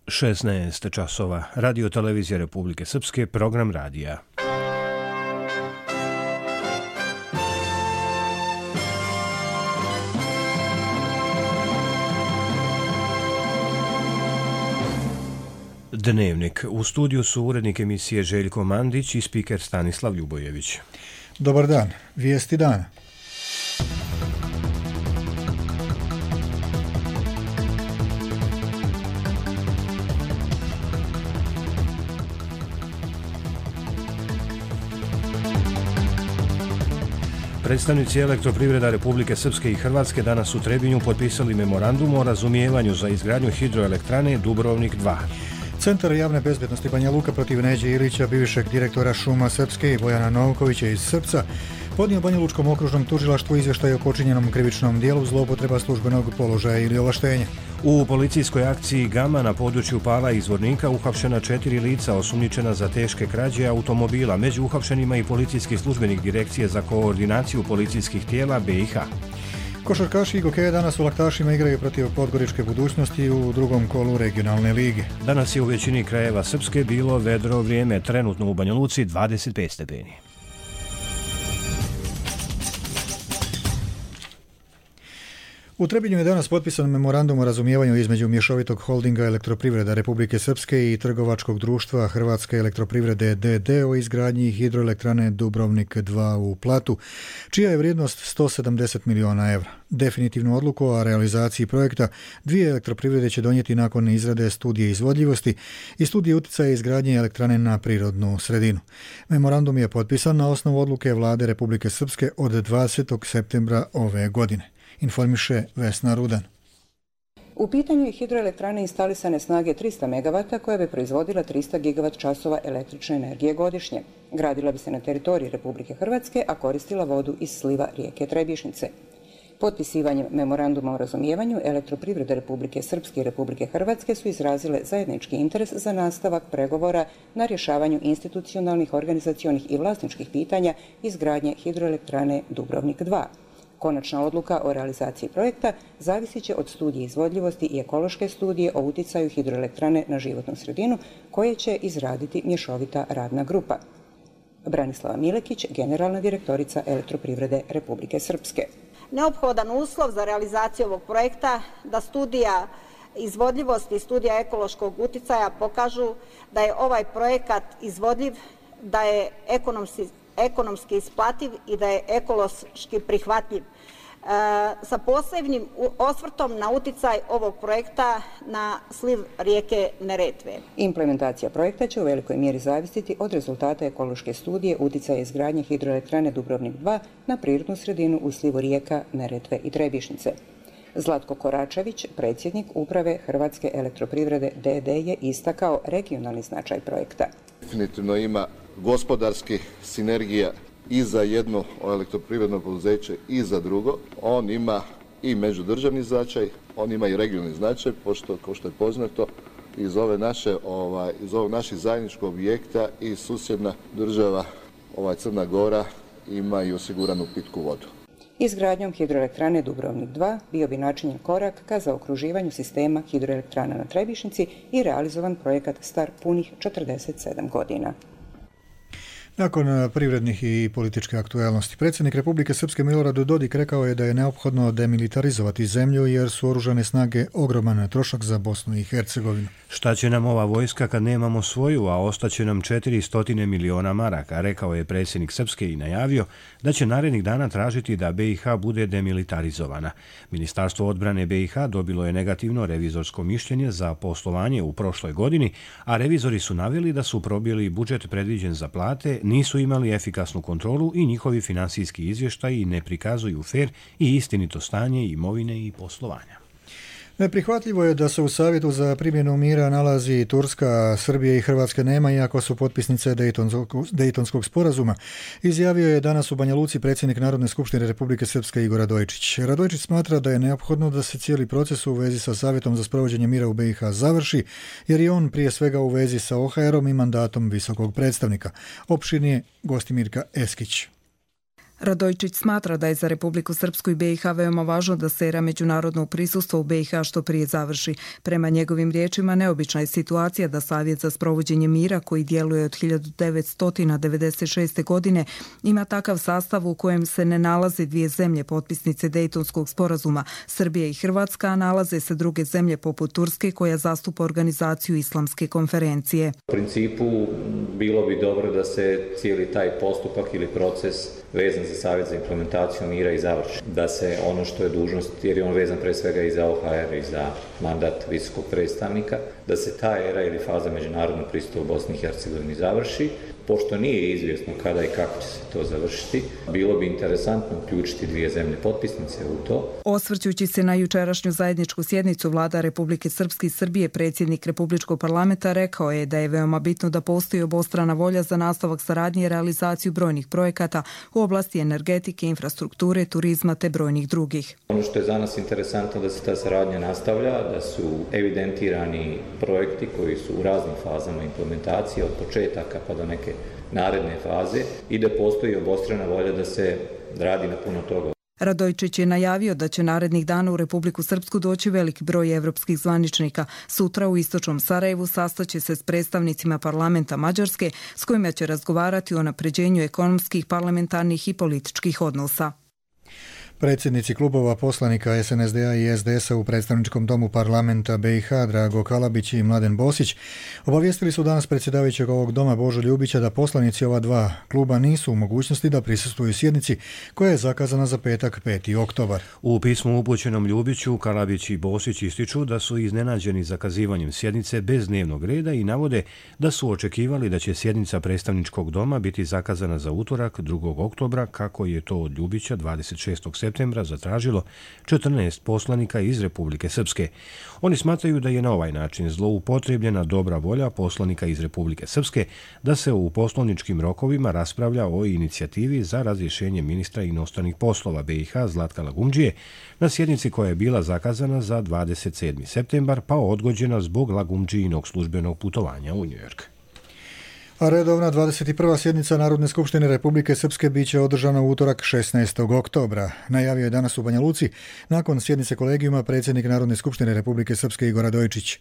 16 časova. Radio televizija Republike Srpske, program radija. Dnevnik. U studiju su urednik emisije Željko Mandić i spiker Stanislav Ljubojević. Dobar dan. Vijesti dana. Predstavnici Elektroprivreda Republike Srpske i Hrvatske danas u Trebinju potpisali memorandum o razumijevanju za izgradnju hidroelektrane Dubrovnik 2. Centar javne bezbednosti Banja Luka protiv Neđe Ilića, bivšeg direktora Šuma Srpske, i Bojana Novkovića iz Srpca, podnio Banja Lučkom okružnom tužilaštvu izvještaj o počinjenom krivičnom dijelu zloupotreba službenog položaja ili ovlaštenja. U policijskoj akciji Gama na području Pala i Zvornika uhapšena 4 lica osumnjičena za teške krađe automobila. Među uhapšenima i policijski službenik Direkcije za koordinaciju policijskih tijela BiH. Košarkaši Igokeja danas u Laktašima igraju protiv Podgoričke Budućnosti u drugom kolu regionalne lige. Danas je u većini krajeva Srpske bilo vedro vrijeme, trenutno u Banja Luci 25 stepeni. U Trebinju je danas potpisan memorandum o razumijevanju između mješovitog holdinga Elektroprivreda Republike Srpske i trgovačkog društva Hrvatske elektroprivrede d.d. o izgradnji hidroelektrane Dubrovnik 2 u Platu, čija je vrijednost 170 miliona evra. Definitivnu odluku o realizaciji projekta dvije elektroprivrede će donijeti nakon izrade studije izvodljivosti i studije utjecaja izgradnje elektrane na prirodnu sredinu. Memorandum je potpisan na osnovu odluke Vlade Republike Srpske od 20. septembra ove godine. Informiše Vesna Rudan. U pitanju je hidroelektrane instalisane snage 300 MW koja bi proizvodila 300 GWh električne energije godišnje. Gradila bi se na teritoriji Republike Hrvatske, a koristila vodu iz sliva rijeke Trebišnice. Potpisivanjem memoranduma o razumijevanju Elektroprivrede Republike Srpske i Republike Hrvatske su izrazile zajednički interes za nastavak pregovora na rješavanju institucionalnih, organizacionih i vlasničkih pitanja izgradnje hidroelektrane Dubrovnik 2. Konačna odluka o realizaciji projekta zavisit će od studije izvodljivosti i ekološke studije o utjecaju hidroelektrane na životnu sredinu koje će izraditi mješovita radna grupa. Branislava Milekić, generalna direktorica Elektroprivrede Republike Srpske. Neophodan uslov za realizaciju ovog projekta da studija izvodljivosti i studija ekološkog utjecaja pokažu da je ovaj projekat izvodljiv, da je ekonomski isplativ i da je ekološki prihvatljiv, sa posebnim osvrtom na utjecaj ovog projekta na sliv rijeke Neretve. Implementacija projekta će u velikoj mjeri zavisiti od rezultata ekološke studije utjecaja izgradnje hidroelektrane Dubrovnik 2 na prirodnu sredinu u slivu rijeka Neretve i Trebišnice. Zlatko Koračević, predsjednik uprave Hrvatske elektroprivrede d.d. je istakao regionalni značaj projekta. Definitivno ima gospodarski sinergija i za jedno elektroprivredno poduzeće i za drugo. On ima i međudržavni značaj, on ima i regionalni značaj, pošto, kao što je poznato, iz ovog naših zajedničkog objekta i susjedna država, Crna Gora, ima i osiguranu pitku vodu. Izgradnjom hidroelektrane Dubrovnik 2 bio bi načinjen korak ka zaokruživanju sistema hidroelektrana na Trebišnici i realizovan projekat star punih 47 godina. Nakon privrednih i političke aktualnosti, predsjednik Republike Srpske Milorad Dodik rekao je da je neophodno demilitarizovati zemlju jer su oružane snage ogroman trošak za Bosnu i Hercegovinu. Šta će nam ova vojska kad nemamo svoju, a ostaće nam 400 miliona maraka, rekao je predsjednik Srpske i najavio da će narednih dana tražiti da BiH bude demilitarizovana. Ministarstvo odbrane BiH dobilo je negativno revizorsko mišljenje za poslovanje u prošloj godini, a revizori su naveli da su probili budžet predviđen za plate, nisu imali efikasnu kontrolu i njihovi finansijski izvještaji ne prikazuju fer i istinito stanje imovine i poslovanja. Neprihvatljivo je da se u Savjetu za primjenu mira nalazi Turska, Srbije i Hrvatske nema, iako su potpisnice Dejtonskog sporazuma, izjavio je danas u Banja Luci predsjednik Narodne skupštine Republike Srpske Igor Radojčić. Radojčić smatra da je neophodno da se cijeli proces u vezi sa Savjetom za sprovođenje mira u BiH završi, jer je on prije svega u vezi sa OHR-om i mandatom visokog predstavnika. Opširnije Gostimirka Eskić. Radojčić smatra da je za Republiku Srpsku i BiH veoma važno da se era međunarodnog prisustva u BiH što prije završi. Prema njegovim riječima, neobična je situacija da Savjet za sprovođenje mira, koji djeluje od 1996. godine, ima takav sastav u kojem se ne nalaze dvije zemlje potpisnice Dejtonskog sporazuma, Srbija i Hrvatska, a nalaze se druge zemlje poput Turske koja zastupa organizaciju Islamske konferencije. U principu bilo bi dobro da se cijeli taj postupak ili proces vezan za Savjet za implementaciju mira i završi. Da se ono što je dužnost, jer je on vezan pre svega i za OHR i za mandat visokog predstavnika, da se ta era ili faza međunarodnog pristupa u Bosni i Hercegovini završi. Pošto nije izvjesno kada i kako će se to završiti, bilo bi interesantno uključiti dvije zemlje potpisnice u to. Osvrćući se na jučerašnju zajedničku sjednicu Vlada Republike Srpske i Srbije, predsjednik Republičkog parlamenta rekao je da je veoma bitno da postoji obostrana volja za nastavak saradnje i realizaciju brojnih projekata u oblasti energetike, infrastrukture, turizma te brojnih drugih. Ono što je za nas interesantno da se ta saradnja nastavlja, da su evidentirani projekti koji su u raznim fazama implementacije od početaka pa do neke naredne faze i da postoji obostrana volja da se radi na puno toga. Radojčić je najavio da će narednih dana u Republiku Srpsku doći veliki broj evropskih zvaničnika. Sutra u istočnom Sarajevu sastaće se s predstavnicima parlamenta Mađarske s kojima će razgovarati o unapređenju ekonomskih, parlamentarnih i političkih odnosa. Predsjednici klubova poslanika SNSD-a i SDS-a u predstavničkom domu parlamenta BiH Drago Kalabić i Mladen Bosić obavijestili su danas predsjedavajućeg ovog doma Božo Ljubića da poslanici ova dva kluba nisu u mogućnosti da prisustvuju sjednici koja je zakazana za petak 5. oktobar. U pismu upućenom Ljubiću Kalabić i Bosić ističu da su iznenađeni zakazivanjem sjednice bez dnevnog reda i navode da su očekivali da će sjednica predstavničkog doma biti zakazana za utorak 2. oktobra kako je to od Ljubića 26. septembra zatražilo 14 poslanika iz Republike Srpske. Oni smatraju da je na ovaj način zloupotrebljena dobra volja poslanika iz Republike Srpske da se u poslovničkim rokovima raspravlja o inicijativi za razrješenje ministra inostranih poslova BiH Zlatka Lagumdžije na sjednici koja je bila zakazana za 27. septembar pa odgođena zbog Lagumdžijinog službenog putovanja u Njujork. A redovna 21. sjednica Narodne skupštine Republike Srpske biće održana u utorak 16. oktobra. Najavio je danas u Banja Luci nakon sjednice kolegijuma predsjednik Narodne skupštine Republike Srpske Igor Radojčić.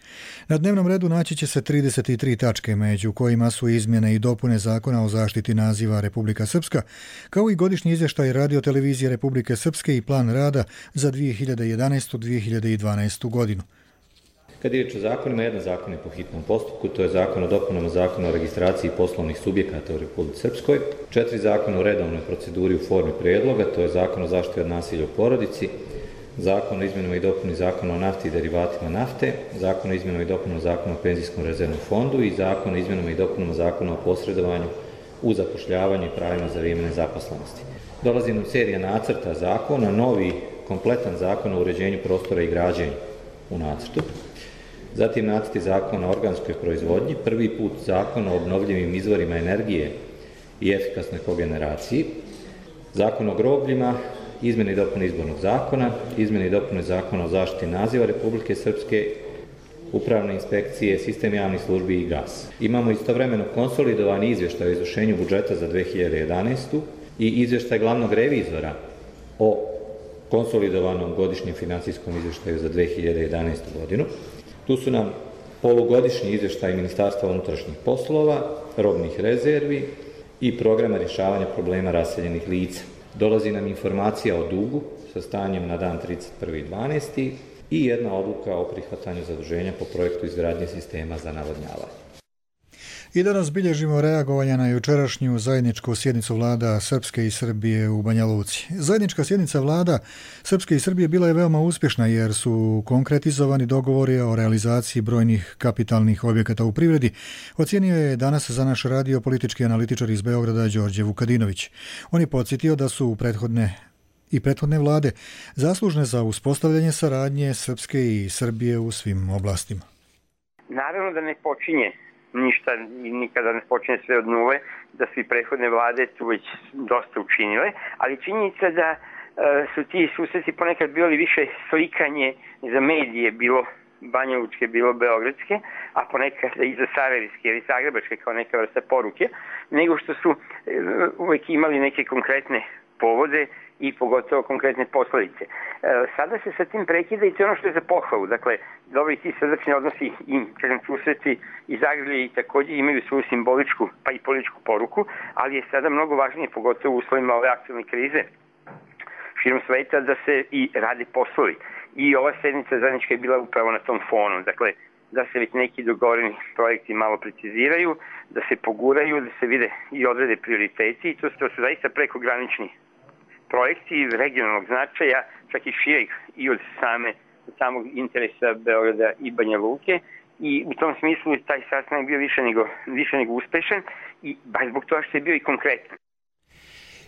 Na dnevnom redu naći će se 33 tačke, među kojima su izmjene i dopune Zakona o zaštiti naziva Republika Srpska, kao i godišnji izvještaj Radio-televizije Republike Srpske i plan rada za 2011-2012. godinu. Kad je riječ o zakonima, jedan zakon je po hitnom postupku, to je zakon o dopunama Zakona o registraciji poslovnih subjekata u Republici Srpskoj, 4 zakona u redovnoj proceduri u formi prijedloga, to je zakon o zaštiti od nasilja u porodici, zakon o izmjenama i dopuni Zakona o nafti i derivatima nafte, zakon o izmjenama i dopunama Zakona o penzijskom rezervnom fondu i zakon o izmjenama i dopunama Zakona o posredovanju u zapošljavanju i pravima za vrijeme nezaposlenosti. Dolazi nam serija nacrta zakona, novi kompletan zakon o uređenju prostora i građenju u nacrtu. Zatim nacrti zakona o organskoj proizvodnji, prvi put zakon o obnovljivim izvorima energije i efikasnoj kogeneraciji, zakon o grobljima, izmjene i dopune izbornog zakona, izmjene i dopune zakona o zaštiti naziva Republike Srpske, upravne inspekcije, sistem javnih službi i gas. Imamo istovremeno konsolidovani izvještaj o izvršenju budžeta za 2011. i izvještaj glavnog revizora o konsolidovanom godišnjem financijskom izvještaju za 2011. godinu. Tu su nam polugodišnji izvještaj Ministarstva unutrašnjih poslova, robnih rezervi i programa rješavanja problema raseljenih lica. Dolazi nam informacija o dugu sa stanjem na dan 31.12. i jedna odluka o prihvatanju zaduženja po projektu izgradnje sistema za navodnjavanje. I danas bilježimo reagovanja na jučerašnju zajedničku sjednicu vlada Srpske i Srbije u Banja Luci. Zajednička sjednica vlada Srpske i Srbije bila je veoma uspješna jer su konkretizovani dogovori o realizaciji brojnih kapitalnih objekata u privredi, ocijenio je danas za naš radio politički analitičar iz Beograda Đorđe Vukadinović. On je podsjetio da su prethodne vlade zaslužne za uspostavljanje saradnje Srpske i Srbije u svim oblastima. Naravno da ne počinje ništa i nikada ne počinje sve od nule, da su i prethodne vlade tu već dosta učinile, ali činjenica da su ti susreti ponekad bili više slikanje za medije, bilo banjalučke, bilo beogradske, a ponekad i za sarajevske ili zagrebačke kao neka vrsta poruke, nego što su uvijek imali neke konkretne povode i pogotovo konkretne posledice. Sada se sa tim prekida i to je ono što je za pohvalu. Dakle, dobri ti srdačni odnosi i susreti i zagrlje također imaju svoju simboličku pa i političku poruku, ali je sada mnogo važnije, pogotovo u uslovima ove aktualne krize širom sveta, da se i rade poslovi. I ova sednica zajednička je bila upravo na tom fonu. Dakle, da se već neki dogovoreni projekti malo preciziraju, da se poguraju, da se vide i odrede prioriteti. To su zaista prekogranični projekti regionalnog značaja, čak i širih i od samog interesa Beograda i Banja Luke. I u tom smislu taj sastanak bio više nego uspešan i baš zbog toga što je bio i konkretan.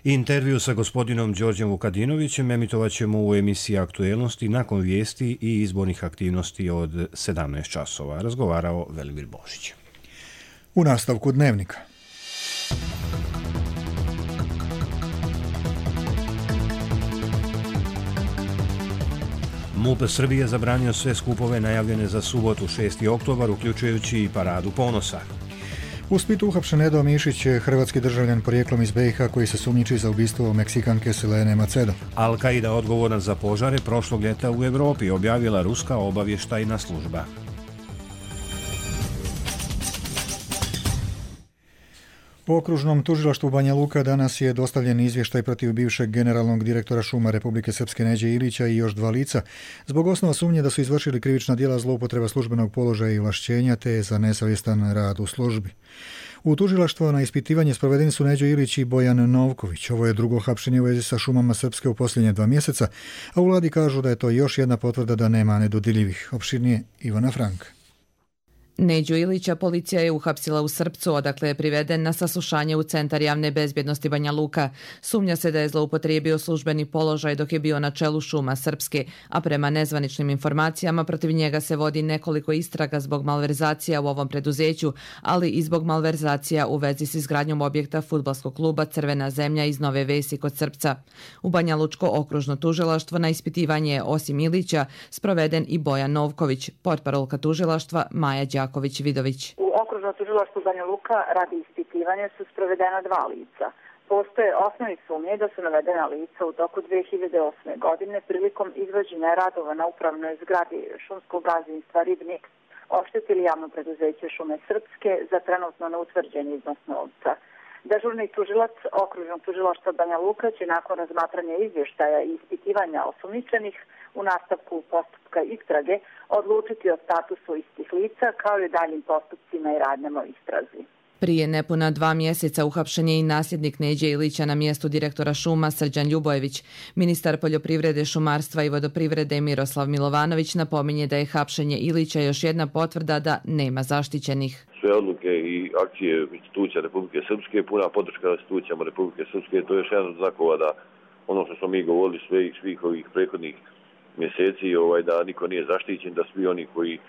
Intervju sa gospodinom Đorđem Vukadinovićem emitovat ćemo u emisiji Aktuelnosti nakon vijesti i izbornih aktivnosti od 17 časova. Razgovarao Velimir Božić. U nastavku Dnevnika. MUP Srbije zabranio sve skupove najavljene za subotu 6. oktobar, uključujući i Paradu ponosa. U Splitu uhapšen Edo Mišić, hrvatski državljan porijeklom iz BiH koji se sumnjiči za ubistvo Meksikanke Selene Macedo. Al-Qaida odgovorna za požare prošlog ljeta u Europi, objavila ruska obavještajna služba. U okružnom tužilaštvu Banja Luka danas je dostavljen izvještaj protiv bivšeg generalnog direktora šuma Republike Srpske Neđe Ilića i još 2 lica zbog osnova sumnje da su izvršili krivična djela zloupotreba službenog položaja i ovlašćenja te za nesavjestan rad u službi. U tužilaštvo na ispitivanje sprovedeni su Neđo Ilić i Bojan Novković. Ovo je drugo hapšenje u vezi sa šumama Srpske u posljednje 2 mjeseca, a u vladi kažu da je to još jedna potvrda da nema nedodirljivih. Opširnije Ivana Frank. Neđu Ilića policija je uhapsila u Srpcu, odakle je priveden na saslušanje u Centar javne bezbjednosti Banja Luka. Sumnja se da je zloupotrijebio službeni položaj dok je bio na čelu šuma Srpske, a prema nezvaničnim informacijama protiv njega se vodi nekoliko istraga zbog malverzacija u ovom preduzeću, ali i zbog malverzacija u vezi s izgradnjom objekta fudbalskog kluba Crvena zemlja iz Nove Vesi kod Srpca. U Banja Lučko okružno tužilaštvo na ispitivanje je osim Ilića sproveden i Bojan Novković, portparolka tužilaštva Maja Đaković-Vidović. U okružnom tužilaštvu Banja Luka radi ispitivanja su sprovedena 2 lica. Postoje osnovni sumnje da su navedena lica u toku 2008. godine prilikom izvođenja radova na upravnoj zgradi šumskog gazdinstva Ribnik oštetili javno preduzeće Šume Srpske za trenutno neutvrđen iznos novca. Dežurni tužilac okružnog tužilaštva Banja Luka će nakon razmatranja izvještaja i ispitivanja osumnjičenih u nastavku postupka istrage odlučiti o statusu istih lica kao i daljim postupcima i radnjama o istrazi. Prije nepuna 2 mjeseca uhapšen je i nasljednik Neđe Ilića na mjestu direktora šuma Srđan Ljubojević. Ministar poljoprivrede, šumarstva i vodoprivrede Miroslav Milovanović napominje da je hapšenje Ilića još jedna potvrda da nema zaštićenih. Sve odluke i akcije institucija Republike Srpske, puna podrška institucijama Republike Srpske, to je još jedan od znakova da ono što smo mi govorili svih ovih prethodnih mjeseci, da niko nije zaštićen, da svi oni koji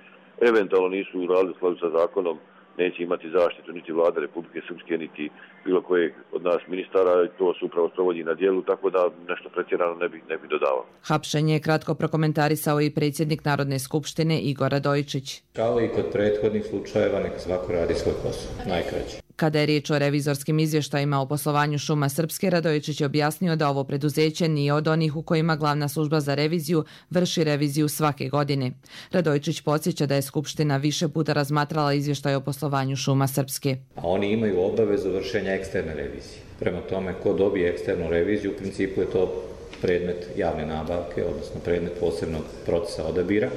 eventualno nisu uradili u skladu sa zakonom neće imati zaštitu niti vlada Republike Srpske, niti bilo kojeg od nas ministara. To se upravo sprovodi na djelu, tako da nešto pretjerano ne bi dodavao. Hapšenje je kratko prokomentarisao i predsjednik Narodne skupštine Igor Radojičić. Kao i kod prethodnih slučajeva, neka svako radi svoj posao, najkraće. Kada je riječ o revizorskim izvještajima o poslovanju šuma Srpske, Radojičić je objasnio da ovo preduzeće nije od onih u kojima glavna služba za reviziju vrši reviziju svake godine. Radojičić podsjeća da je Skupština više puta razmatrala izvještaj o poslovanju šuma Srpske. A oni imaju obavezu vršenja eksterne revizije. Prema tome, ko dobije eksternu reviziju, u principu je to predmet javne nabavke, odnosno predmet posebnog procesa odabira.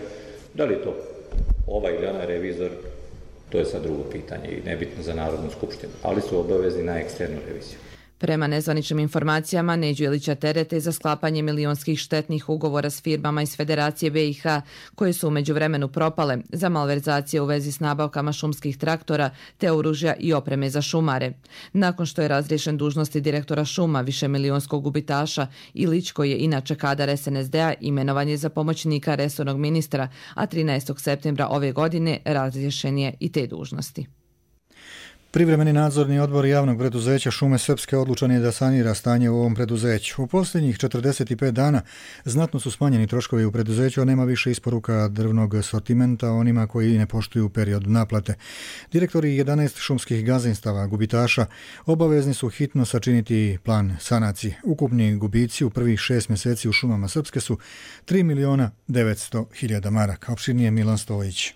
Da li je to ovaj ili onaj revizor, to je sad drugo pitanje i nebitno za Narodnu skupštinu, ali su obavezni na eksternu reviziju. Prema nezvaničnim informacijama, Neđu Ilića terete za sklapanje milionskih štetnih ugovora s firmama iz Federacije BiH, koje su u međuvremenu propale za malverzacije u vezi s nabavkama šumskih traktora te oružja i opreme za šumare. Nakon što je razriješen dužnosti direktora šuma višemilionskog gubitaša, Ilić, koji je inače kadar SNSD-a, imenovan je za pomoćnika resornog ministra, a 13. septembra ove godine razriješen je i te dužnosti. Privremeni nadzorni odbor javnog preduzeća Šume Srpske odlučan je da sanira stanje u ovom preduzeću. U posljednjih 45 dana znatno su smanjeni troškovi u preduzeću, a nema više isporuka drvnog sortimenta onima koji ne poštuju period naplate. Direktori 11 šumskih gazdinstava gubitaša obavezni su hitno sačiniti plan sanacije. Ukupni gubici u prvih 6 mjeseci u šumama Srpske su 3.900.000 maraka. Opširnije Milan Stojić.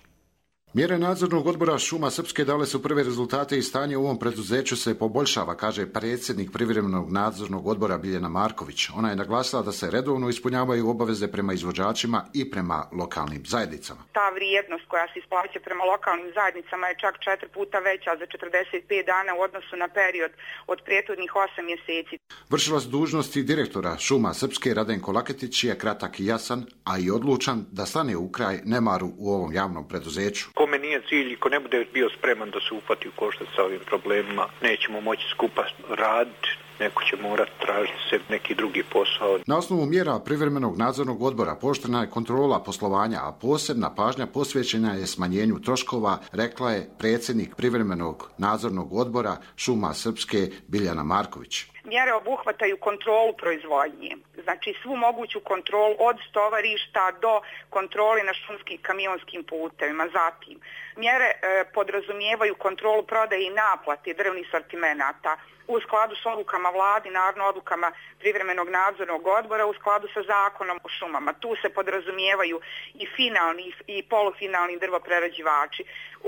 Mjere nadzornog odbora Šuma Srpske dale su prve rezultate i stanje u ovom preduzeću se poboljšava, kaže predsjednik privremenog nadzornog odbora Biljana Marković. Ona je naglasila da se redovno ispunjavaju obaveze prema izvođačima i prema lokalnim zajednicama. Ta vrijednost koja se isplaća prema lokalnim zajednicama je čak 4 puta veća za 45 dana u odnosu na period od prethodnih 8 mjeseci. Vršilac dužnosti direktora Šuma Srpske Radenko Laketić je kratak i jasan, a i odlučan da stane u kraj nemaru u ovom javnom preduzeću. Kome nije cilj i ko ne bude bio spreman da se uhvati u koštac sa ovim problemima, nećemo moći skupa raditi, neko će morati tražiti se neki drugi posao. Na osnovu mjera privremenog nadzornog odbora pooštrena je kontrola poslovanja, a posebna pažnja posvećena je smanjenju troškova, rekla je predsjednik privremenog nadzornog odbora Šuma Srpske Biljana Marković. Mjere obuhvataju kontrolu proizvodnje, znači svu moguću kontrolu od stovarišta do kontrole na šumskim kamionskim putevima. Zatim, mjere podrazumijevaju kontrolu prodaje i naplate drvnih sortimenata u skladu s odlukama vladi, naravno odlukama privremenog nadzornog odbora u skladu sa zakonom o šumama. Tu se podrazumijevaju i finalni i polufinalni drvoprerađivači.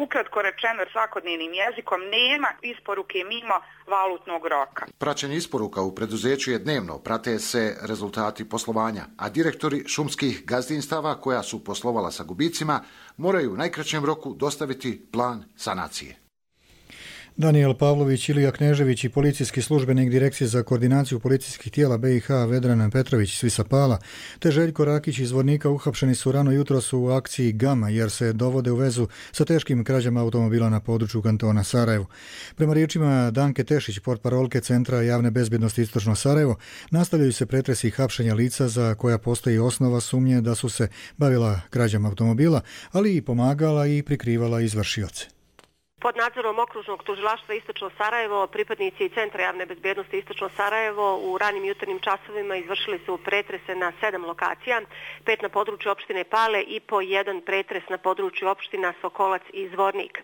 Ukratko rečeno svakodnevnim jezikom, nema isporuke mimo valutnog roka. Praćenje isporuka u preduzeću je dnevno, prate se rezultati poslovanja, a direktori šumskih gazdinstava koja su poslovala sa gubicima moraju u najkraćem roku dostaviti plan sanacije. Danijel Pavlović, Ilija Knežević i policijski službenik Direkcije za koordinaciju policijskih tijela BiH Vedran Petrović s Visapala te Željko Rakić iz Zvornika uhapšeni su rano jutros u akciji Gama jer se dovode u vezu sa teškim krađama automobila na području kantona Sarajevo. Prema riječima Danke Tešić, portparolke Centra javne bezbjednosti Istočno Sarajevo, nastavljaju se pretresi i hapšenja lica za koja postoji osnova sumnje da su se bavila krađama automobila, ali i pomagala i prikrivala izvršioce. Pod nadzorom okružnog tužilaštva Istočno Sarajevo, pripadnici Centra javne bezbjednosti Istočno Sarajevo u ranim jutarnjim časovima izvršili su pretrese na 7 lokacija, 5 na području opštine Pale i po 1 pretres na području opština Sokolac i Zvornik.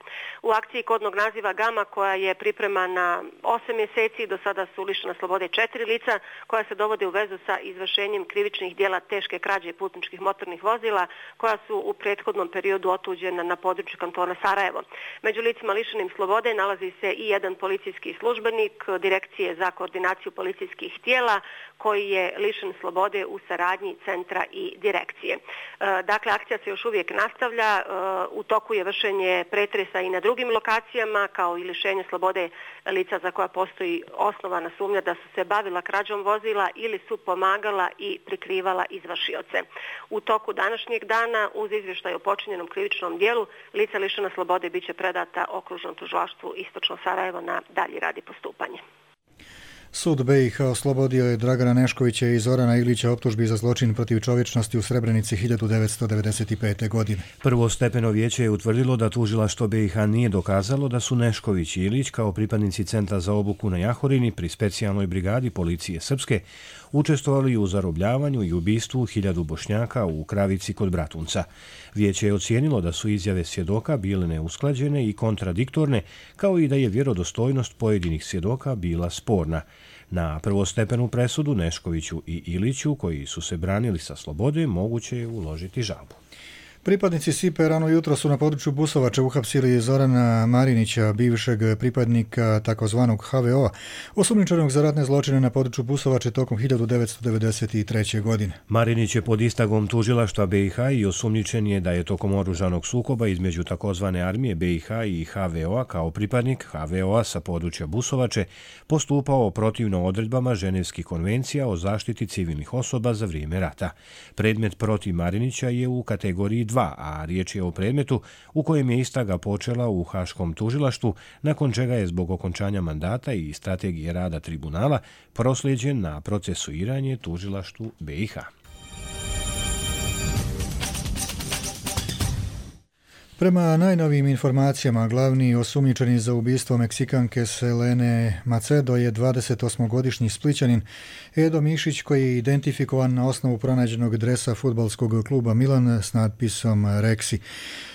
U akciji kodnog naziva Gama, koja je pripremana 8 mjeseci, do sada su lišena slobode 4 lica koja se dovode u vezu sa izvršenjem krivičnih dijela teške krađe putničkih motornih vozila koja su u prethodnom periodu otuđena na području kantona Sarajevo. Među licima lišenim slobode nalazi se i jedan policijski službenik Direkcije za koordinaciju policijskih tijela koji je lišen slobode u saradnji centra i direkcije. Dakle, akcija se još uvijek nastavlja, u toku je vršenje pretresa i na drugim lokacijama kao i lišenje slobode lica za koja postoji osnovana sumnja da su se bavila krađom vozila ili su pomagala i prikrivala izvršioce. U toku današnjeg dana uz izvještaj o počinjenom krivičnom dijelu lica lišena slobode biće predata okružnom tužilaštvu Istočno Sarajevo na dalji rad i postupanje. Sud BiH oslobodio je Dragana Neškovića i Zorana Ilića optužbi za zločin protiv čovječnosti u Srebrenici 1995. godine. Prvostepeno vijeće je utvrdilo da tužilaštvo BiH nije dokazalo da su Nešković i Ilić kao pripadnici Centra za obuku na Jahorini pri specijalnoj brigadi policije Srpske učestvovali u zarobljavanju i ubistvu 1000 Bošnjaka u Kravici kod Bratunca. Vijeće je ocijenilo da su izjave svjedoka bile neusklađene i kontradiktorne, kao i da je vjerodostojnost pojedinih svjedoka bila sporna. Na prvostepenu presudu Neškoviću i Iliću, koji su se branili sa slobode, moguće je uložiti žalbu. Pripadnici SIPE rano jutro su na području Busovače uhapsili Zorana Marinića, bivšeg pripadnika takozvanog HVO-a, osumnjičenog za ratne zločine na području Busovače tokom 1993. godine. Marinić je pod istagom tužilaštva BiH i osumnjičen je da je tokom oružanog sukoba između takozvane armije BiH i HVO-a kao pripadnik HVO-a sa područja Busovače postupao protivno odredbama Ženevskih konvencija o zaštiti civilnih osoba za vrijeme rata. Predmet protiv Marinića je u kategoriji 2, a riječ je o predmetu u kojem je istraga počela u Haškom tužilaštvu, nakon čega je zbog okončanja mandata i strategije rada tribunala proslijeđen na procesuiranje tužilaštvu BiH. Prema najnovijim informacijama, glavni osumnjičeni za ubistvo Meksikanke Selene Macedo je 28-godišnji Splićanin Edo Mišić, koji je identifikovan na osnovu pronađenog dresa fudbalskog kluba Milan s natpisom Reksi.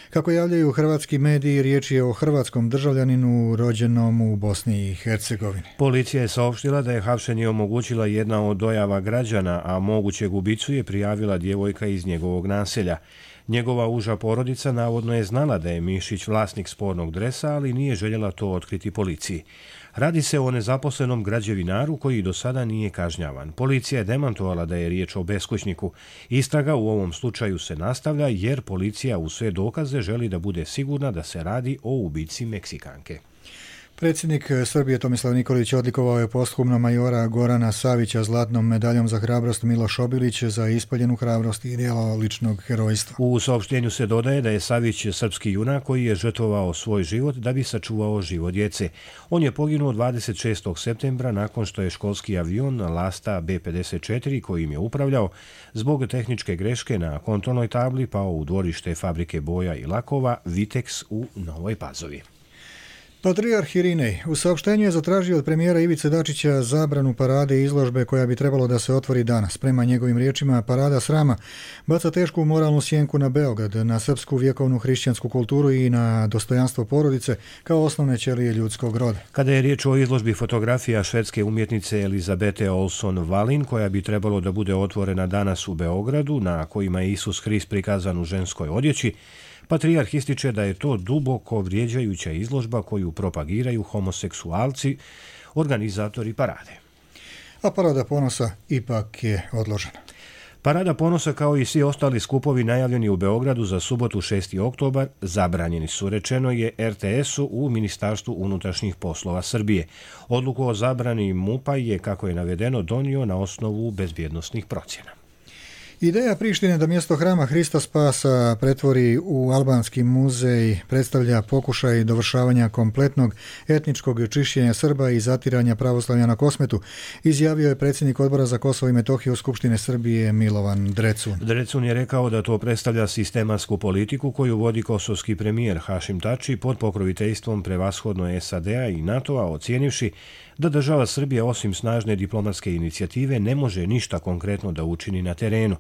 Kako javljaju hrvatski mediji, riječ je o hrvatskom državljaninu rođenom u Bosni i Hercegovini. Policija je saopštila da je hapšenje omogućila jedna od dojava građana, a mogućeg ubicu je prijavila djevojka iz njegovog naselja. Njegova uža porodica navodno je znala da je Mišić vlasnik spornog dresa, ali nije željela to otkriti policiji. Radi se o nezaposlenom građevinaru koji do sada nije kažnjavan. Policija je demantovala da je riječ o beskućniku. Istraga u ovom slučaju se nastavlja jer policija u sve dokaze želi da bude sigurna da se radi o ubici Meksikanke. Predsjednik Srbije Tomislav Nikolić odlikovao je posthumno majora Gorana Savića zlatnom medaljom za hrabrost Miloš Obilić za ispaljenu hrabrost i djelo ličnog herojstva. U saopštenju se dodaje da je Savić srpski junak koji je žrtvovao svoj život da bi sačuvao život djece. On je poginuo 26. septembra nakon što je školski avion Lasta B-54 kojim je upravljao zbog tehničke greške na kontrolnoj tabli pao u dvorište fabrike boja i lakova Vitex u Novoj Pazovi. Patrijarh Irinej u saopštenju je zatražio od premijera Ivice Dačića zabranu parade i izložbe koja bi trebalo da se otvori danas. Prema njegovim riječima, parada srama baca tešku moralnu sjenku na Beograd, na srpsku vjekovnu hrišćansku kulturu i na dostojanstvo porodice kao osnovne ćelije ljudskog roda. Kada je riječ o izložbi fotografija švedske umjetnice Elizabete Olson Wallin, koja bi trebalo da bude otvorena danas u Beogradu, na kojima je Isus Hrist prikazan u ženskoj odjeći, Patrijarh ističe da je to duboko vrijeđajuća izložba koju propagiraju homoseksualci, organizatori parade. A parada ponosa ipak je odložena. Parada ponosa kao i svi ostali skupovi najavljeni u Beogradu za subotu 6. oktobar zabranjeni su, rečeno je RTS-u u Ministarstvu unutrašnjih poslova Srbije. Odluku o zabrani MUP-a je, kako je navedeno, donio na osnovu bezbjednosnih procjena. Ideja Prištine da mjesto hrama Hrista Spasa pretvori u albanski muzej predstavlja pokušaj dovršavanja kompletnog etničkog čišćenja Srba i zatiranja pravoslavlja na Kosmetu, izjavio je predsjednik Odbora za Kosovo i Metohiju Skupštine Srbije Milovan Drecun. Drecun je rekao da to predstavlja sistematsku politiku koju vodi kosovski premijer Hašim Tači pod pokroviteljstvom prevashodno SAD-a i NATO-a, ocijenivši da država Srbija osim snažne diplomatske inicijative ne može ništa konkretno da učini na terenu.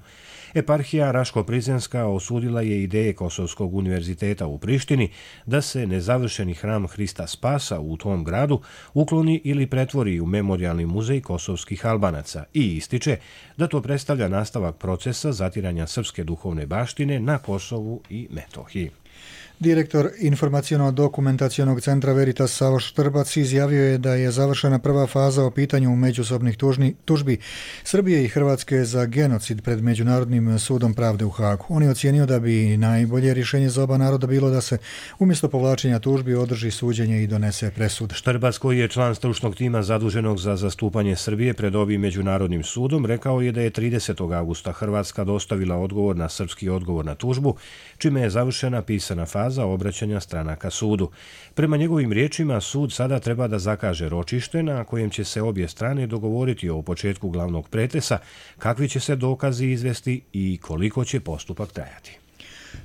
Eparhija Raško-Prizrenska osudila je ideje Kosovskog univerziteta u Prištini da se nezavršeni hram Hrista Spasa u tom gradu ukloni ili pretvori u memorijalni muzej kosovskih Albanaca i ističe da to predstavlja nastavak procesa zatiranja srpske duhovne baštine na Kosovu i Metohiji. Direktor informaciono-dokumentacionog centra Veritas Savo Štrbac izjavio je da je završena prva faza o pitanju međusobnih tužbi Srbije i Hrvatske za genocid pred Međunarodnim sudom pravde u Hagu. On je ocijenio da bi najbolje rješenje za oba naroda bilo da se umjesto povlačenja tužbi održi suđenje i donese presude. Štrbac, koji je član stručnog tima zaduženog za zastupanje Srbije pred ovim Međunarodnim sudom, rekao je da je 30. augusta Hrvatska dostavila odgovor na srpski odgovor na tužbu, čime je završena pisana faza obraćanja stranaka sudu. Prema njegovim riječima, sud sada treba da zakaže ročište na kojem će se obje strane dogovoriti o početku glavnog pretresa, kakvi će se dokazi izvesti i koliko će postupak trajati.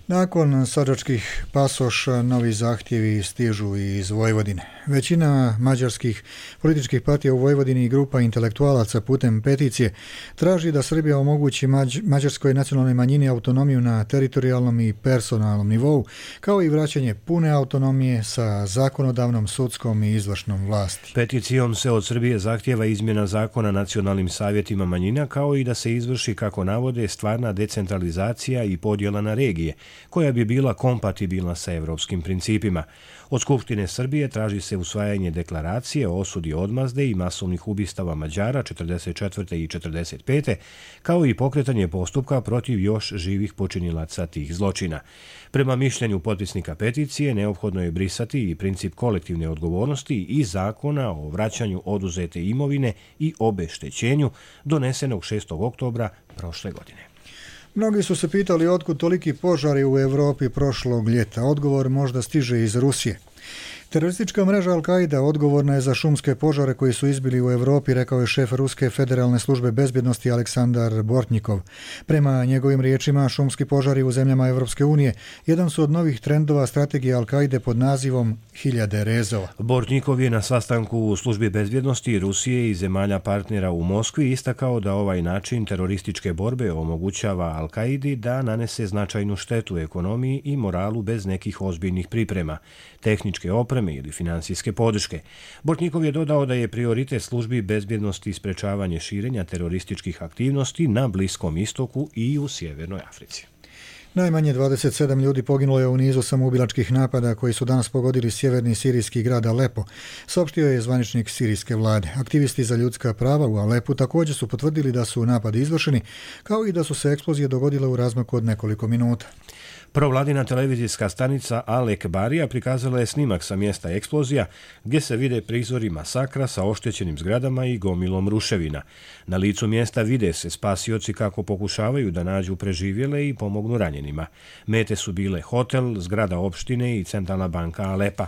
Nakon sadačkih pasoša, novi zahtjevi stižu iz Vojvodine. Većina mađarskih političkih partija u Vojvodini i grupa intelektualaca putem peticije traži da Srbija omogući mađarskoj nacionalnoj manjini autonomiju na teritorijalnom i personalnom nivou, kao i vraćanje pune autonomije sa zakonodavnom, sudskom i izvršnom vlasti. Peticijom se od Srbije zahtjeva izmjena zakona nacionalnim savjetima manjina, kao i da se izvrši, kako navode, stvarna decentralizacija i podjela na regije, koja bi bila kompatibilna sa evropskim principima. Od Skupštine Srbije traži se usvajanje deklaracije o osudi odmazde i masovnih ubistava Mađara 44. i 45. kao i pokretanje postupka protiv još živih počinilaca tih zločina. Prema mišljenju potpisnika peticije, neophodno je brisati i princip kolektivne odgovornosti i zakona o vraćanju oduzete imovine i obeštećenju donesenog 6. oktobra prošle godine. Mnogi su se pitali otkud toliki požari u Europi prošlog ljeta. Odgovor možda stiže iz Rusije. Teroristička mreža Al-Qaida odgovorna je za šumske požare koji su izbili u Europi, rekao je šef Ruske federalne službe bezbjednosti Aleksandar Bortnikov. Prema njegovim riječima, šumski požari u zemljama Europske unije jedan su od novih trendova strategije Al-Qaide pod nazivom Hiljade rezova. Bortnikov je na sastanku u službi bezbjednosti Rusije i zemalja partnera u Moskvi istakao da ovaj način terorističke borbe omogućava Al-Qaidi da nanese značajnu štetu ekonomiji i moralu bez nekih ozbiljnih priprema, tehničke opreme ili financijske podrške. Bortnikov je dodao da je prioritet službi bezbjednosti sprečavanje širenja terorističkih aktivnosti na Bliskom istoku i u Sjevernoj Africi. Najmanje 27 ljudi poginulo je u nizu samoubilačkih napada koji su danas pogodili sjeverni sirijski grad Alepo, saopštio je zvaničnik sirijske vlade. Aktivisti za ljudska prava u Alepu također su potvrdili da su napadi izvršeni, kao i da su se eksplozije dogodile u razmaku od nekoliko minuta. Provladina televizijska stanica Al Ekbarija prikazala je snimak sa mjesta eksplozija gdje se vide prizori masakra sa oštećenim zgradama i gomilom ruševina. Na licu mjesta vide se spasioci kako pokušavaju da nađu preživjele i pomognu ranjenima. Mete su bile hotel, zgrada opštine i centralna banka Alepa.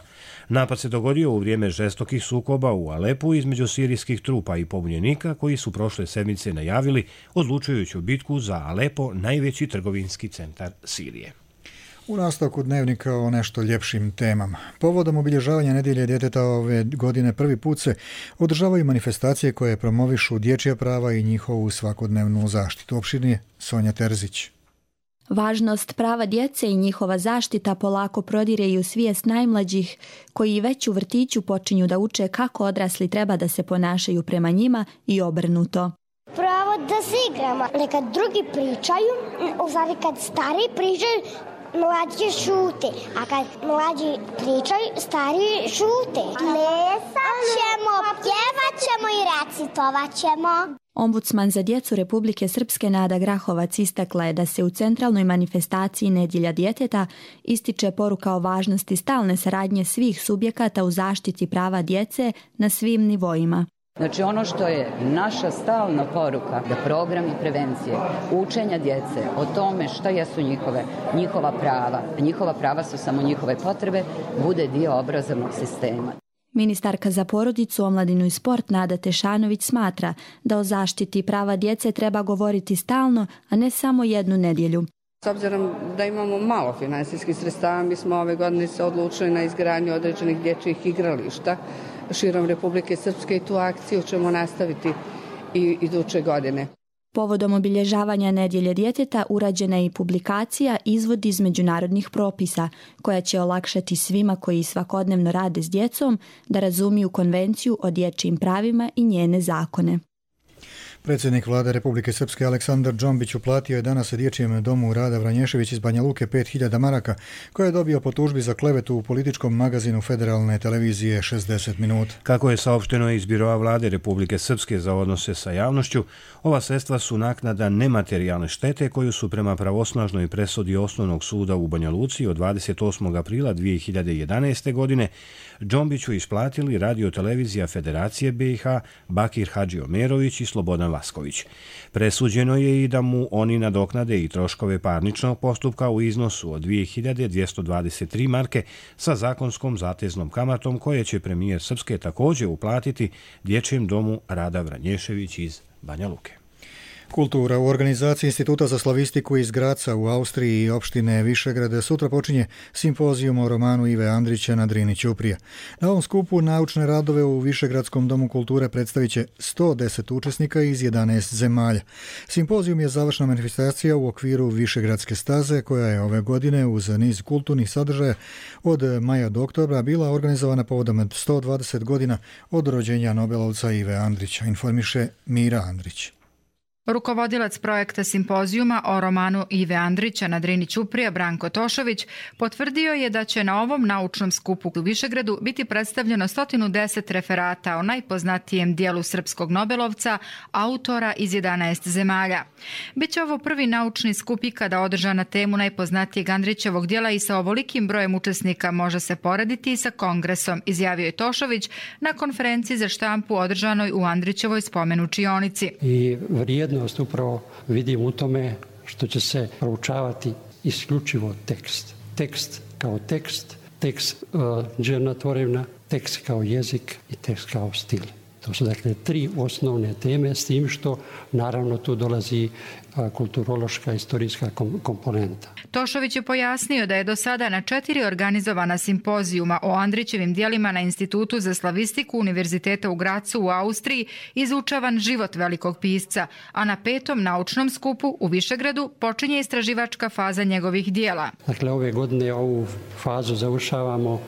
Napad se dogodio u vrijeme žestokih sukoba u Alepu između sirijskih trupa i pobunjenika koji su prošle sedmice najavili odlučujuću bitku za Alepo, najveći trgovinski centar Sirije. U nastavku dnevnika o nešto ljepšim temama. Povodom obilježavanja nedjelje djeteta ove godine prvi put se održavaju manifestacije koje promovišu dječja prava i njihovu svakodnevnu zaštitu. Opširnije Sonja Terzić. Važnost prava djece i njihova zaštita polako prodire i u svijest najmlađih, koji već u vrtiću počinju da uče kako odrasli treba da se ponašaju prema njima i obrnuto. Pravo da se igramo. Nekad drugi pričaju, kad stari pričaju, mlađi šute, a kad mlađi pričaju, stari šute. Plesat ćemo, pjevat ćemo i recitovat ćemo. Ombudsman za djecu Republike Srpske Nada Grahovac istakla je da se u centralnoj manifestaciji Nedjelja djeteta ističe poruka o važnosti stalne saradnje svih subjekata u zaštiti prava djece na svim nivoima. Znači ono što je naša stalna poruka da programi prevencije, učenja djece o tome šta jesu njihova prava, a njihova prava su samo njihove potrebe, bude dio obrazovnog sistema. Ministarka za porodicu, omladinu i sport Nada Tešanović smatra da o zaštiti prava djece treba govoriti stalno, a ne samo jednu nedjelju. S obzirom da imamo malo finansijskih sredstava, mi smo ove godine se odlučili na izgradnju određenih dječjih igrališta širom Republike Srpske i tu akciju ćemo nastaviti i iduće godine. Povodom obilježavanja Nedjelje djeteta urađena je i publikacija Izvod iz međunarodnih propisa, koja će olakšati svima koji svakodnevno rade s djecom da razumiju konvenciju o dječjim pravima i njene zakone. Predsjednik vlade Republike Srpske Aleksandar Džombić uplatio je danas Dječjem domu Rada Vranješević iz Banja Luke 5.000 maraka koje je dobio po tužbi za klevetu u političkom magazinu federalne televizije 60 minuta. Kako je saopšteno iz Biroa vlade Republike Srpske za odnose sa javnošću, ova sredstva su naknada nematerijalne štete koju su prema pravosnažnoj presudi Osnovnog suda u Banja Luci od 28. aprila 2011. godine Džombiću isplatili Radio-televizija Federacije BiH, Bakir Hadžiomerović i Slobodan Vasković. Presuđeno je i da mu oni nadoknade i troškove parničnog postupka u iznosu od 2223 marke sa zakonskom zateznom kamatom koje će premijer Srpske također uplatiti Dječjem domu Rada Vranješević iz Banja Luke. Kultura. U organizaciji Instituta za slavistiku iz Graca u Austriji i opštine Višegrad sutra počinje simpozijum o romanu Ive Andrića na Drini Ćuprija. Na ovom skupu naučne radove u Višegradskom domu kulture predstavit će 110 učesnika iz 11 zemalja. Simpozijum je završna manifestacija u okviru Višegradske staze koja je ove godine uz niz kulturnih sadržaja od maja do oktobra bila organizovana povodom 120 godina od rođenja Nobelovca Ive Andrića, informiše Mira Andrić. Rukovodilac projekta simpozijuma o romanu Ive Andrića na Drini Ćuprija Branko Tošović potvrdio je da će na ovom naučnom skupu u Višegradu biti predstavljeno 110 referata o najpoznatijem dijelu srpskog Nobelovca, autora iz 11 zemalja. Biće ovo prvi naučni skup ikada održan na temu najpoznatijeg Andrićevog dijela i sa ovolikim brojem učesnika može se porediti i sa kongresom, izjavio je Tošović na konferenciji za štampu održanoj u Andrićevoj spomenučionici. I vrijednost upravo vidim u tome što će se proučavati isključivo tekst. Tekst kao tekst tekst Džerna Tvorevna, tekst kao jezik i tekst kao stil. To su dakle 3 osnovne teme, s tim što naravno tu dolazi kulturološka, istorijska komponenta. Tošović je pojasnio da je do sada na 4 organizovana simpozijuma o Andrićevim djelima na Institutu za slavistiku Univerziteta u Gracu u Austriji izučavan život velikog pisca, a na 5. naučnom skupu u Višegradu počinje istraživačka faza njegovih djela. Dakle, ove godine ovu fazu završavamo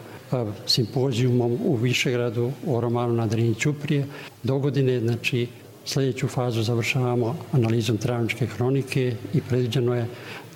simpozijumom u Višegradu o romanu na Drini ćuprije. Do godine, znači, sljedeću fazu završavamo analizom Travničke hronike i predviđeno je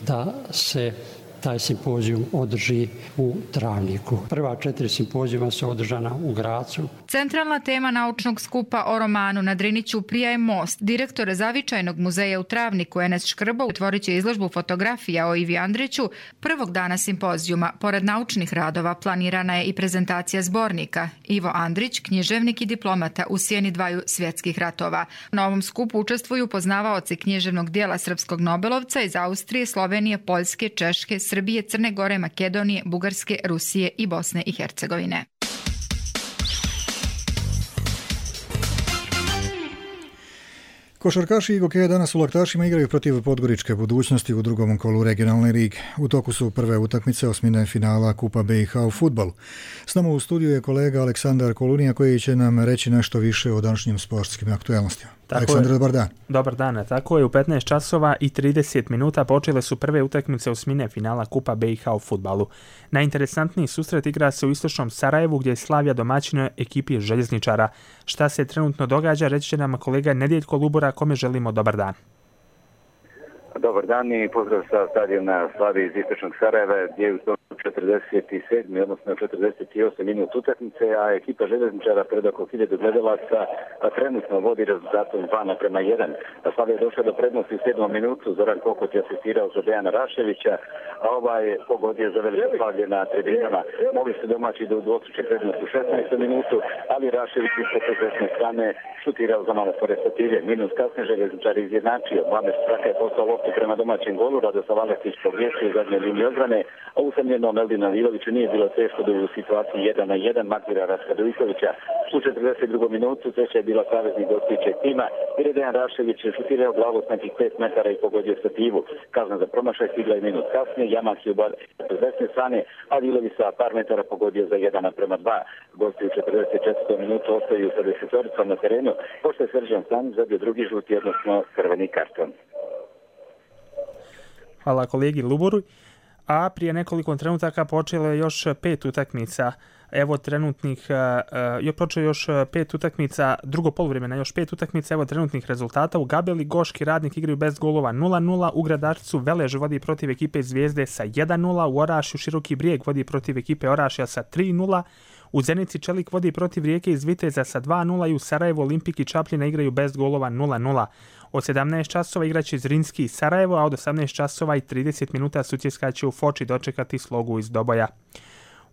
da se taj simpozijum održi u Travniku. Prva 4 simpozijuma su održana u Gracu. Centralna tema naučnog skupa o romanu na Drini ćuprija je most. Direktor Zavičajnog muzeja u Travniku Enes Škrbo otvorit će izložbu fotografija o Ivi Andriću. Prvog dana simpozijuma, pored naučnih radova, planirana je i prezentacija zbornika Ivo Andrić, književnik i diplomata u sjeni 2 svjetskih ratova. Na ovom skupu učestvuju poznavaoci književnog dijela srpskog nobelovca iz Austrije, Slovenije, Poljske, Češke, Srbije, Crne Gore, Makedonije, Bugarske, Rusije i Bosne i Hercegovine. Košarkaši Gokeja danas u Laktašima igraju protiv Podgoričke Budućnosti u drugom kolu regionalne lige. U toku su prve utakmice osmine finala Kupa BiH u fudbalu. S nama u studiju je kolega Aleksandar Kolunija koji će nam reći nešto više o današnjim sportskim aktualnostima. Aleksandar, dobar dan. Dobar dan, tako je, u 15 časova i 30 minuta počele su prve utakmice osmine finala Kupa BiH u fudbalu. Najinteresantniji susret igra se u istočnom Sarajevu gdje je Slavija domaćina ekipi željezničara. Šta se trenutno događa, reći će nam kolega Nedjeljko Lubura, kome želimo dobar dan. Dobar dan i pozdrav sa stadiona Slavije iz istočnog Sarajeva gdje je u 47. odnosno 48 minut utakmice, a ekipa željezničara pred oko 1000 gledalaca trenutno vodi rezultatom 2:1. Slavija je došla do prednosti u 7. minutu, Zoran Kokot je asistirao za Dejana Raševića, a pogodio za veliko slavlje na tribinama. Mogli se domaći do dvostruče prednost u 16. minutu, ali Rašević iz desne strane šutirao za malo pored statilje. Minus kasnije željezničar izjednačio. Mladež Straka je postao loptu prema domaćem golu, Radoslav Aleksić pogriješio u zadnjoj liniji odbrane, a usamljenom Eldinu Liloviću nije bilo teško da u situaciji 1:1 Makvira Raskadojkovića. U 42. minutu treća je bila saveznik gostujućeg tima, jer je Dejan Rašević šutirao glavu s nekih 5 metara i pogodio stativu. Kazna za promašaj stigla je minut kasnije, Jamak je s desne strane, a Lilović sa par metara pogodio za 1:2. Gosti u 44. minutu ostaju sa 10-oricom na terenu, pošto je Srđan Stanić zabio drugi žuti, odnosno crveni karton. Hvala kolegi Luburu. A prije nekoliko trenutaka počelo je još 5 utakmica. Evo trenutnih, počeo još 5 utakmica, drugo poluvremena, još 5 utakmica, evo trenutnih rezultata. U Gabeli Goški Radnik igraju bez golova 0:0, u Gradačcu Velež vodi protiv ekipe Zvijezde sa 1:0, u Orašju Široki Brijeg vodi protiv ekipe Orašja sa 3:0, u Zenici Čelik vodi protiv Rijeke iz Viteza sa 2:0 i u Sarajevu Olimpik i Čapljina igraju bez golova 0:0. Od 17 časova igraće Zrinski i Sarajevo, a od 18 časova i 30 minuta Sutjeska će u Foči dočekati Slogu iz Doboja.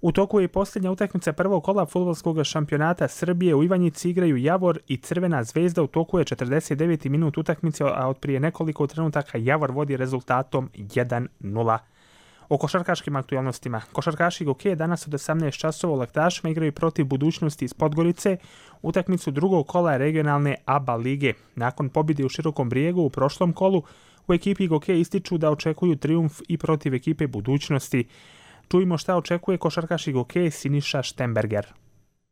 U toku je i posljednja utakmica prvog kola fudbalskog šampionata Srbije. U Ivanjici igraju Javor i Crvena Zvezda. U toku je 49. minut utakmice, a od prije nekoliko trenutaka Javor vodi rezultatom 1:0. O košarkaškim aktualnostima. Košarkaši Gokeja danas od 18 časova u Laktašima igraju protiv Budućnosti iz Podgorice utakmicu drugog kola regionalne ABA lige. Nakon pobjede u Širokom Brijegu u prošlom kolu, u ekipi Gokeja ističu da očekuju trijumf i protiv ekipe Budućnosti. Čujmo šta očekuje košarkaši Gokeja Siniša Štemberger.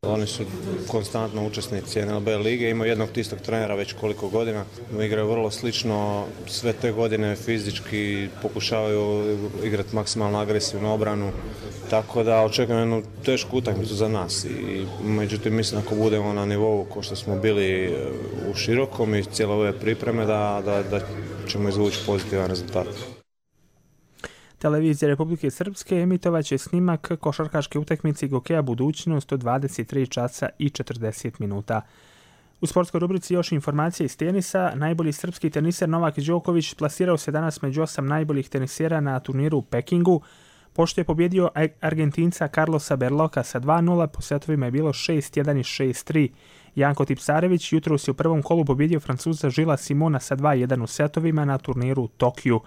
Oni su konstantno učesnici NLB lige, imaju jednog istog trenera već koliko godina. Igraju vrlo slično, sve te godine fizički pokušavaju igrati maksimalno agresivnu obranu, tako da očekujem jednu tešku utakmicu za nas. Međutim, mislim ako budemo na nivou ko što smo bili u Širokom i cijele ove pripreme da ćemo izvući pozitivan rezultat. Televizija Republike Srpske emitovat će snimak košarkaške utakmice Gokeja Budućnost od 23 časa i 40 minuta. U sportskoj rubrici još informacije iz tenisa. Najbolji srpski teniser Novak Đoković plasirao se danas među 8 najboljih tenisera na turniru u Pekingu. Pošto je pobjedio Argentinca Carlosa Berloka sa 2:0, po setovima je bilo 6:1 i 6:3. Janko Tipsarević jutros je u prvom kolu pobjedio Francuza Žila Simona sa 2:1 u setovima na turniru u Tokiju.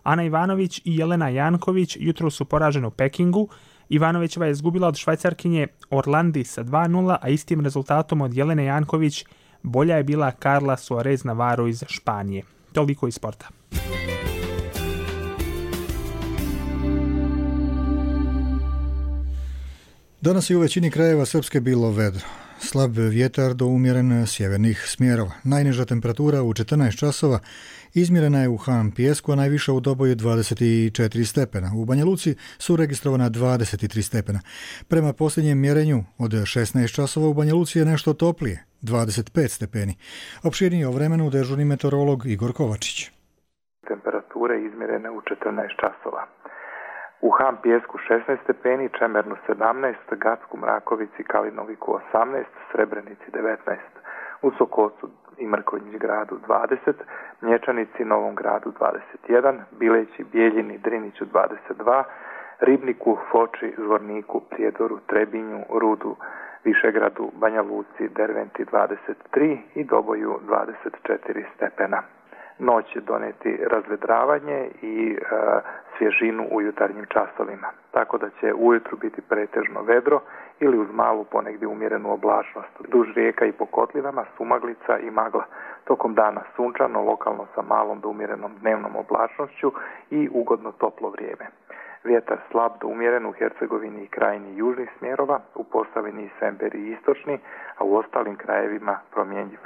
Ana Ivanović i Jelena Janković jutro su poraženi u Pekingu Ivanovićeva je izgubila od Švajcarkinje Orlandi sa 2:0, a istim rezultatom od Jelene Janković bolja je bila Carla Suarez Navarro iz Španije. Toliko iz sporta. Danas je u većini krajeva Srpske bilo vedro. Slab vjetar do umjeren sjevernih smjerova. Najniža temperatura u 14 časova izmjerena je u Han Pijesku, a najviša u Doboju 24 stepena. U Banja Luci su registrovana 23 stepena. Prema posljednjem mjerenju od 16 časova u Banja Luci je nešto toplije, 25 stepeni. Opširnije o vremenu dežurni meteorolog Igor Kovačić. Temperature izmjerene u 14 časova. U Han Pijesku 16 stepeni, Čemernu 17, Gacku, Mrakovici, Kalinoviku 18, Srebrenici 19, u Sokocu i Mrkonjić gradu 20, Mlječanici, Novom gradu 21, Bileći, Bijeljini, Driniću 22, Ribniku, Foči, Zvorniku, Prijedoru, Trebinju, Rudu, Višegradu, Banja Luci, Derventi 23 i Doboju 24 stepena. Noć će doneti razvedravanje i svježinu u jutarnjim časovima, tako da će ujutru biti pretežno vedro ili uz malu ponegdje umjerenu oblačnost. Duž rijeka i po kotlinama sumaglica i magla. Tokom dana sunčano, lokalno sa malom do umjerenom dnevnom oblačnošću i ugodno toplo vrijeme. Vjetar slab do umjeren u Hercegovini i krajini južnih smjerova, u Posavini i Semberi istočni, a u ostalim krajevima promjenjiv.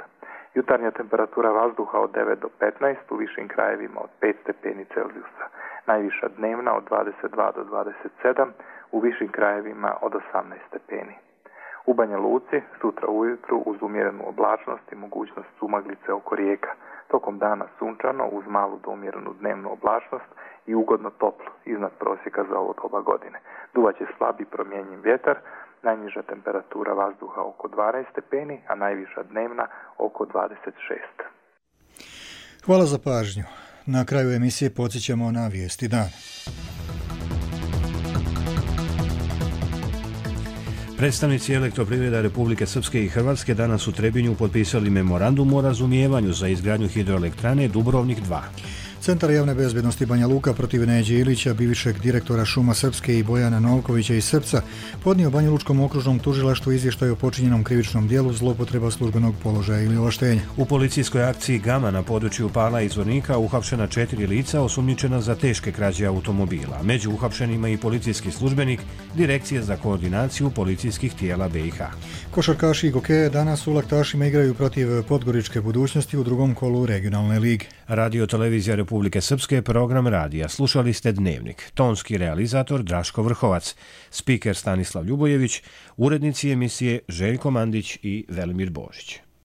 Jutarnja temperatura vazduha od 9 do 15, u višim krajevima od 5 stepeni Celzijusa. Najviša dnevna od 22 do 27, u višim krajevima od 18 stepeni. U Banja Luci sutra ujutru uz umjerenu oblačnost i mogućnost sumaglice oko rijeka. Tokom dana sunčano uz malu do umjerenu dnevnu oblačnost i ugodno toplo, iznad prosjeka za ovo doba godine. Duvaće slabi promjenjiv vjetar, najniža temperatura vazduha oko 12 stepeni, a najviša dnevna oko 26. Hvala za pažnju. Na kraju emisije podsjećamo na vijesti dana. Predstavnici Elektroprivreda Republike Srpske i Hrvatske danas u Trebinju potpisali memorandum o razumijevanju za izgradnju hidroelektrane Dubrovnik 2. Centar javne bezbjednosti Banja Luka protiv Neđe Ilića, bivšeg direktora Šuma Srpske i Bojana Novkovića iz Srpca, podnio Banja Lučkom okružnom tužilaštvu izvještaj o počinjenom krivičnom dijelu zloupotreba službenog položaja ili ovlaštenja. U policijskoj akciji Gama na području Pala i Zvornika uhapšena 4 lica osumnjičena za teške krađe automobila. Među uhapšenima i policijski službenik Direkcije za koordinaciju policijskih tijela BiH. Košarkaši i gokeje danas u Laktašima igraju protiv Podgoričke Budućnosti u drugom kolu regionalne lige. Radio televizija Republike Srpske, program radija. Slušali ste Dnevnik. Tonski realizator Draško Vrhovac, spiker Stanislav Ljubojević, urednici emisije Željko Mandić i Velimir Božić.